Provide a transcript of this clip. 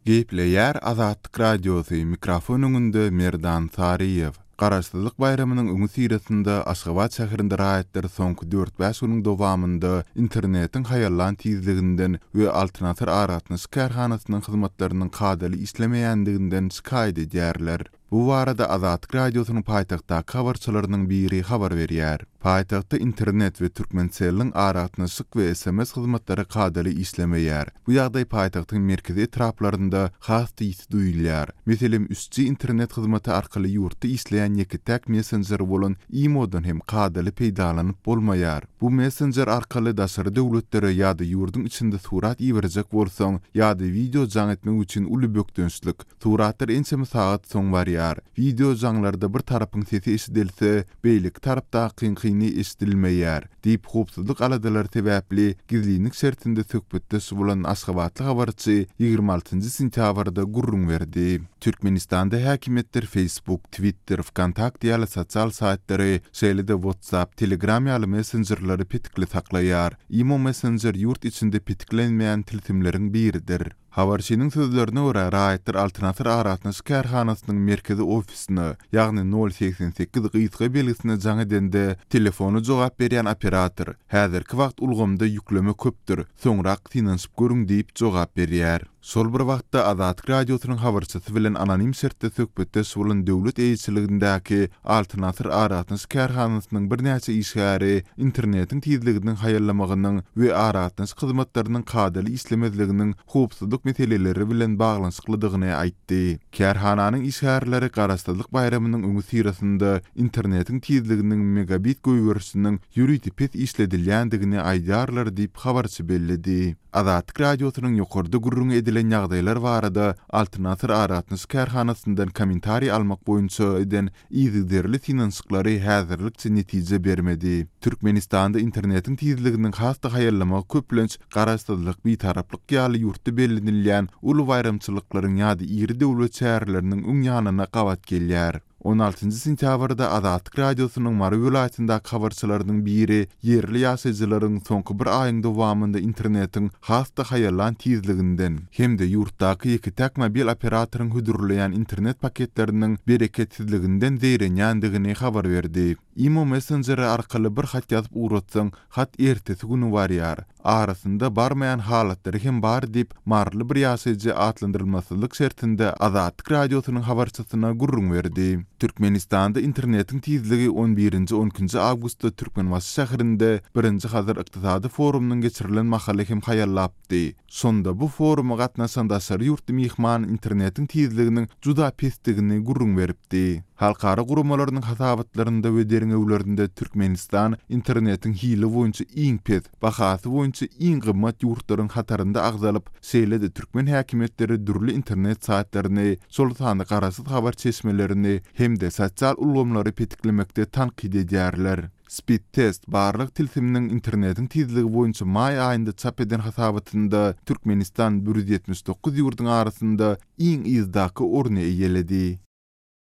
Gepleýär Azatlyk Radiosy, mikrofon öňünde Merdan Saryýew. Garaşsyzlyk baýramynyň öňüsyrasynda Aşgabat şäherinde raýatlar soňky dört-bäş günüň dowamynda internetiň haýallan tizliginden we Altyn Asyr aragatnaşyk kärhanasynyň hyzmatlarynyň kadaly işlemeýändiginden şikaýat edýärler. Bu barada Azatlyk Radiosynyň paýtagtdaky habarçylarynyň biri habar berýär. Paýtagtda internet we Türkmencelliň aragatnaşyk we sms hyzmatlary kadaly işlemeýär. Bu ýagdaý paýtagtyň merkezi etraplarynda has-da ýiti duýulýar. Meselem, üç G internet hyzmaty arkaly ýurtda işleýän ýeke-täk messenjer bolan Imo-dan hem kadaly peýdalanyp bolmaýar. Bu messenjer arkaly daşary döwletlere ýa-da ýurduň içinde surat iberjek bolsaň ýa-da wideo jaň etmek üçin uly bökdençlik. Suratlar ençeme sagat soň barýar. Wideo jaňlarda bir tarapyň sesi eşidilse, beýleki tarapdakyňkyny eşidilmeýär, diýip, howpsuzlyk aladalary sebäpli gizlinlik şertinde söhbetdeş bolan aşgabatly habarçy 26 nji sentýabrda gürrüň berdi. Türkmenistanda häkimiýetler Facebook, Twitter, Wkontakte ýaly sosial saýtlary, şeýle-de WhatsApp, Telegram ýaly messenjerleri petikli saklaýar. Imo messenjer ýurt içinde petiklenmeýän tilsimleriň biridir. Habarçynyň sözlerine görä, raýatlar Altyn Asyr aragatnaşyk kärhanasynyň merkezi ofisine, ýagny nol 88 gysga belgisine jaň edende, telefona jogap berýän operator, Häzirki wagt ulgamda ýükleme köpdür, soňrak synanyşyp görüň diýip jogap berýär. Şol bir wagtda, Azatlyk Radiosynyň habarçysy bilen anonim şertde söhbetdeş bolan döwlet eýeçiligindäki Altyn Asyr aragatnaşyk kärhanasynyň birnäçe işgäri internetiň tizliginiň haýallamagynyň we aragatnaşyk hyzmatlarynyň kadaly işlemezliginiň howpsuzlyk meseleleri bilen baglanyşyklydygyny aýtdy. Kärhananyň işgärleri Garaşsyzlyk baýramynyň öňüsyrasynda internetiň tizliginiň megabit goýberişiniň ýörite pes işledilýändigini aýdýarlar diýip, habarçy belledi. Azatlyk Radiosynyň ýokarda gürrüňi edilen ýagdaýlar barada Altyn Asyr aragatnaşyk kärhanasyndan kommentariý almak boýunça eden yzygiderli synanyşyklary häzirlikçe netije bermedi. Türkmenistanda internetiň tizliginiň has-da haýallamagy köplenç Garaşsyzlyk, Bitaraplyk ýaly ýurtda bellenilýän uly baýramçylyklaryň ýa-da iri döwlet çäreleriniň öň ýanyna gabat gelýär. 16 njy sentýabrda Azatlyk Radiosynyň Mary welaýatyndaky habarçylarynyň biri ýerli ýaşaýjylaryň soňky bir aýyň dowamynda internetiň has-da haýallan tizliginden hem-de ýurtdaky ýeke-täk mobil operatoryň hödürleýän internet paketleriniň bereketsizliginden zeýrenýändigini habar berdi. Imo messenjeri arkaly bir hat ýazyp ugratsaň, hat ertesi güni barýar. Arasynda barmaýan halatlary hem bar diýip, maryly bir ýaşaýjy atlandyrylmasyzlyk şertinde Azatlyk Radiosynyň habarçysyna gürrüň berdi. Türkmenistanda internetiň tizligi on birinji, on ikinji awgustda Türkmenbaşy şäherinde birinji Hazar ykdysady forumynyň geçirilen mahaly hem haýallapdy. Şonda bu foruma gatnaşan daşary ýurtly myhman internetiň tizliginiň juda pesdigini gürrüň beripdi. Halkara guramalarynyň hasabatlarynda we derňewlerinde Türkmenistan internetiň hili boýunça iň pes, bahasy boýunça iň gymmat ýurtlaryň hatarynda agzalyp, şeýle-de türkmen häkimiýetleri dürli internet saýtlaryny, şol sanda garaşsyz habar çeşmelerini hem-de sosial ulgamlary petiklemekde tankyt edýärler. Speedtest barlag tilsiminiň internetiň tizligi boýunça maý aýynda çap eden hasabatynda Türkmenistan 179 ýurduň arasynda iň yzdaky orny eýeledi.